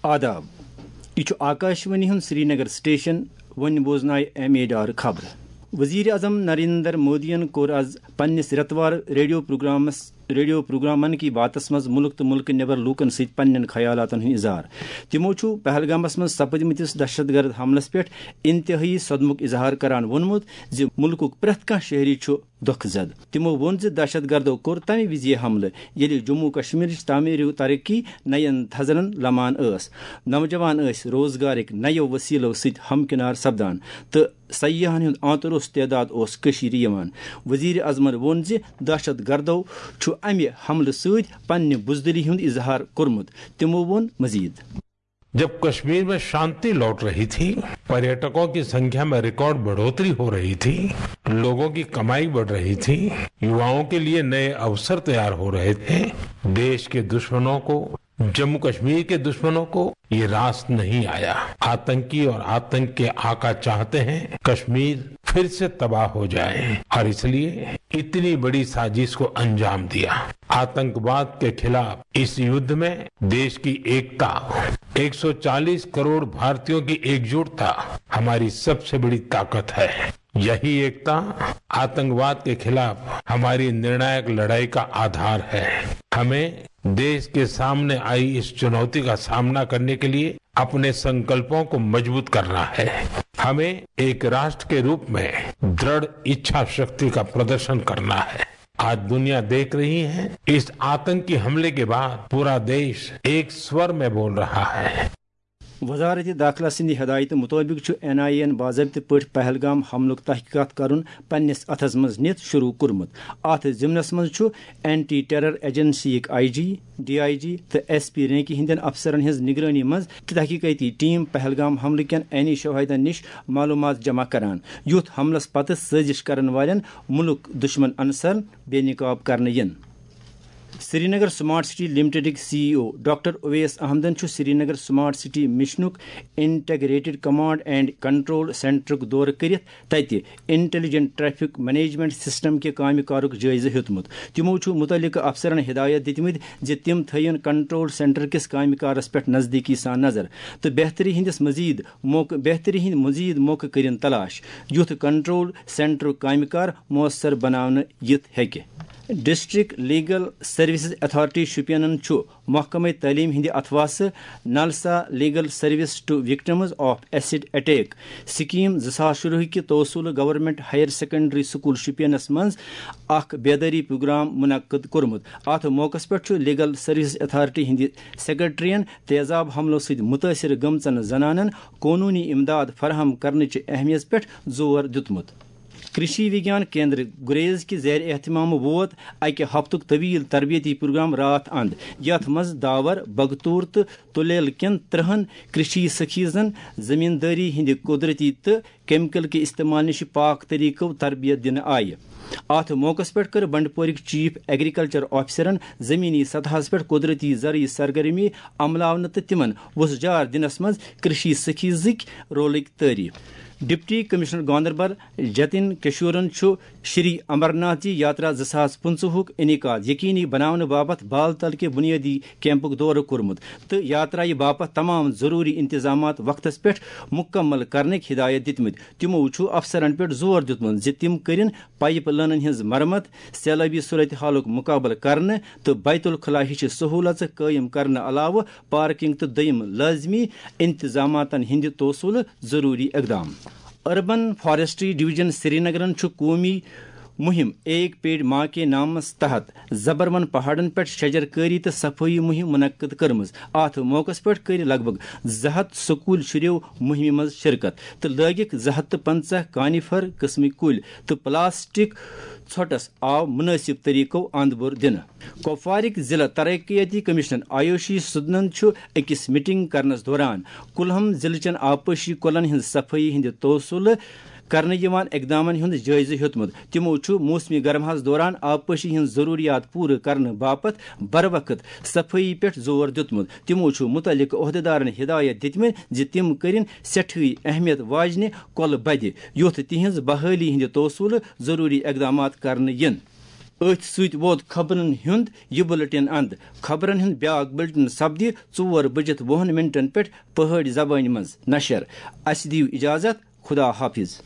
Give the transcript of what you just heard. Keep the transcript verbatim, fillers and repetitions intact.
آداب، یہِ چھُ آکاشوانی ہُنٛد سرینگر سٹیشن۔ وۄنۍ بوزنایہِ اہم ڈار خبرٕ۔ وزیر اعظم نریندر مودیَن کوٚر آز پننِس رٮ۪توار ریڈیو پروگرامس، ریڈیو پروگرام من کی باتس منٛز مُلک تہٕ مُلکہٕ نٮ۪بر لوٗکن سۭتۍ پننٮ۪ن خیالاتن ہُنٛد اظہار۔ تِمو چھُ پہلگامس منٛز سپدمٕتِس دہشت گرد حملس پٮ۪ٹھ انتہٲئی صدمُک اظہار کران ووٚنمُت زِ مُلکُک پرٛٮ۪تھ کانٛہہ شہری چھُ دۄکھٕ زد۔ تِمو ووٚن زِ دہشت گردو کوٚر تمہِ وِزِ یہِ حملہٕ، ییٚلہِ جموں کشمیرٕچ تعمیٖری ترقی نَین تھزرن لمان ٲس۔ نوجوان ٲسۍ روزگارٕکۍ نَیو وسیلو سۭتۍ ہمکنار سپدان تہٕ سیاحن ہُنٛد آنتہٕ روٚس تعداد اوس کٔشیٖرِ یِوان۔ وزیر اعظمن ووٚن زِ دہشت گردو چھُ امہِ حملہٕ سۭتۍ پننہِ بزدلی ہُنٛد اظہار کوٚرمُت۔ تِمو ووٚن مزید۔ جب कश्मीर में शांति लौट रही थी, पर्यटकों की संख्या में रिकॉर्ड बढ़ोतरी हो रही थी, लोगों की कमाई बढ़ रही थी, युवाओं के लिए नए अवसर तैयार हो रहे थे, देश के दुश्मनों को, जम्मू कश्मीर के दुश्मनों को ये रास नहीं आया। आतंकी और आतंक के आका चाहते हैं कश्मीर फिर से तबाह हो जाए और इसलिए इतनी बड़ी साजिश को अंजाम दिया। आतंकवाद के खिलाफ इस युद्ध में देश की एकता, एक सौ चालीस करोड़ भारतीयों की एकजुटता हमारी सबसे बड़ी ताकत है। यही एकता आतंकवाद के खिलाफ हमारी निर्णायक लड़ाई का आधार है। हमें देश के सामने आई इस चुनौती का सामना करने के लिए अपने संकल्पों को मजबूत करना है। हमें एक राष्ट्र के रूप में दृढ़ इच्छा शक्ति का प्रदर्शन करना है। आज दुनिया देख रही है, इस आतंकी हमले के बाद पूरा देश एक स्वर में बोल रहा है। وزارت داخلہ سٕنٛدِ ہدایتہٕ مُطٲبِق چھُ این آئی اے یَن باضٲبطہٕ پٲٹھۍ پہلگام حملُک تحقیقات کرُن پننِس اتھس منٛز نِتھ شروع کوٚرمُت۔ اتھ ضمنس منٛز چھُ اینٹی ٹیرر ایجنسی یٕک آئی جی، ڈی آئی جی تہٕ ایس پی رینکہِ ہٕنٛدٮ۪ن افسرن ہٕنٛز نگرٲنی منٛز تحقیقاتی ٹیم پہلگام حملہٕ کٮ۪ن عینی شواہدن نِش معلومات جمع کران، یُتھ حملس پتہٕ سٲزش کرن والٮ۪ن مُلک دُشمن عنصرن بے نقاب کرنہٕ یِن۔ سرینگر سمارٹ سٹی لمیٹڈٕکۍ C E O doctor Owais احمدن چھُ سرینگر سمارٹ سٹی مشنُک انٹیگریٹڈ کمانڈ اینڈ کنٹرول سینٹرُک دورٕ کٔرِتھ تَتہِ انٹیلیجنٹ ٹریفک مینجمنٹ سسٹم کہِ کامہِ کارُک جٲیزٕ ہیوٚتمُت۔ تِمو چھُ مُتعلقہٕ افسرن ہدایت دِتمٕتۍ زِ تِم تھٲوِن کنٹرول سینٹر کِس کامہِ کارس پٮ۪ٹھ نزدیٖکی سان نظر تہٕ بہتری ہٕنٛدِس مزید موقع، بہتری ہٕنٛدۍ مزید موقعہٕ کٔرِن تلاش، یُتھ کنٹرول سینٹرُک کامہِ کار مؤثر بناونہٕ یِتھ ہیٚکہِ۔ ڈسٹرکٹ لیگل سروسز اتھارٹی شوپینن چھُ محکمہ تعلیم ہٕنٛدِ اتھواسہٕ NALSA legal service to victims of acid attack scheme زٕ ساس شُراہ کہِ توسولہٕ گورنمنٹ ہائر سیکنڈری سکول شوپینس منٛز اکھ بیدٲری پروگرام منعقد کوٚرمُت۔ اتھ موقعس پٮ۪ٹھ چھُ لیگل سروسز اتھارٹی ہٕنٛدِ سیکرٹریَن تیزاب حملو سۭتۍ مُتٲثر گٔمژن زنانن قونوٗنی امداد فراہم کرنٕچ اہمیت پٮ۪ٹھ زور دیُتمُت۔ کرشی وگیان کیندر گریز کہِ زیر اہتمام ووت اکہِ ہفتُک طویل تربیتی پروگرام راتھ اند، یتھ منٛز داور، بگتور تہٕ تُلیل کٮ۪ن ترٕہن کرشی سخیزن زمیندٲری ہٕنٛدِ قدرتی تہٕ کیمیکل کہِ استعمال نِش پاک طریقو تربیت دِنہٕ آیہِ۔ اتھ موقعس پٮ۪ٹھ کٔر بنڈپورٕکۍ چیف ایگریکلچر آفیسرن زمینی سطحس پٮ۪ٹھ قدرتی زرعی سرگرمی عملاونہٕ تہٕ تِمن وُژھ جار دِنس منٛز کرشی سخیزٕکۍ رولٕکۍ تعریف۔ ڈپٹی کمشنر گاندربل جتن کشورن چھُ شری امرناتھ جی یاترا زٕ ساس پٕنٛژٕہُک انعقاد یقینی بناونہٕ باپتھ بال تل کہِ بنیٲدی کیمپُک دورٕ کوٚرمُت تہٕ یاترایہِ باپتھ تمام ضروٗری انتظامات وقتس پٮ۪ٹھ مُکمل کرنٕکۍ ہدایت دِتمٕتۍ۔ تِمو چھُ افسرن پٮ۪ٹھ زور دیُتمُت زِ تِم کٔرِن پائپ لائنن ہٕنٛز مرمت، سیلابی صورتحالُک مُقابلہٕ کرنہٕ تہٕ بیت الخلا ہِش سہوٗلژٕ قٲیِم کرنہٕ علاوٕ پارکنگ تہٕ دوٚیِم لٲزمی انتظاماتن ہٕنٛدِ توسُلہٕ ضروٗری اقدام۔ اربن فارسٹری ڈویژن سرینگرن چھُ قومی مُہِم ایک پیڑ ماں کے نامس تحت زبروَن پہاڑن پٮ۪ٹھ شجر کٲری تہٕ صفٲیی مُہِم منعقد کٔرمٕژ۔ اتھ موقعس پٮ۪ٹھ کٔرۍ لگ بھگ زٕ ہتھ سکوٗل شُرٮ۪و مُہِمہِ منٛز شرکت تہٕ لٲگِکھ زٕ ہتھ تہٕ پنٛژاہ کانیفر قٕسمٕکۍ کُلۍ تہٕ پلاسٹک ژھۄٹس آو مُنٲسِب طریقو اند بور دِنہٕ۔ کپوارٕکۍ ضلع ترقیتی کمشنر آیوشی سدنن چھُ أکِس میٹنگ کرنس دوران کُلہم ضلعہٕ چٮ۪ن آبپاشی کۄلن ہٕنٛز صفٲیی ہٕنٛدِ توسُلہٕ کرنہٕ یِوان اقدامن ہُنٛد جٲیزٕ ہیوٚتمُت۔ تِمو چھُ موسمی گرماہس دوران آبپاشی ہٕنٛز ضروٗریات پوٗرٕ کرنہٕ باپتھ بروقت صفٲیی پٮ۪ٹھ زور دیُتمُت۔ تِمو چھُ مُتعلقہٕ عہدیدارن ہدایت دِتمٕتۍ زِ تِم کٔرِن سٮ۪ٹھٕے اہمیت واجنہِ کۄلہٕ بدِ، یُتھ تِہنٛز بحٲلی ہٕنٛدِ توسُلہٕ ضروٗری اقدامات کرنہٕ یِن۔ أتھۍ سۭتۍ ووت خبرن ہُنٛد یہِ بُلٹن اند۔ خبرن ہُنٛد بیاکھ بُلٹن سپدِ ژور بٔجِتھ وُہن منٹن پٮ۪ٹھ پہٲڑۍ زبٲنۍ منٛز نشر۔ اسہِ دِیِو اجازت، خدا حافظ۔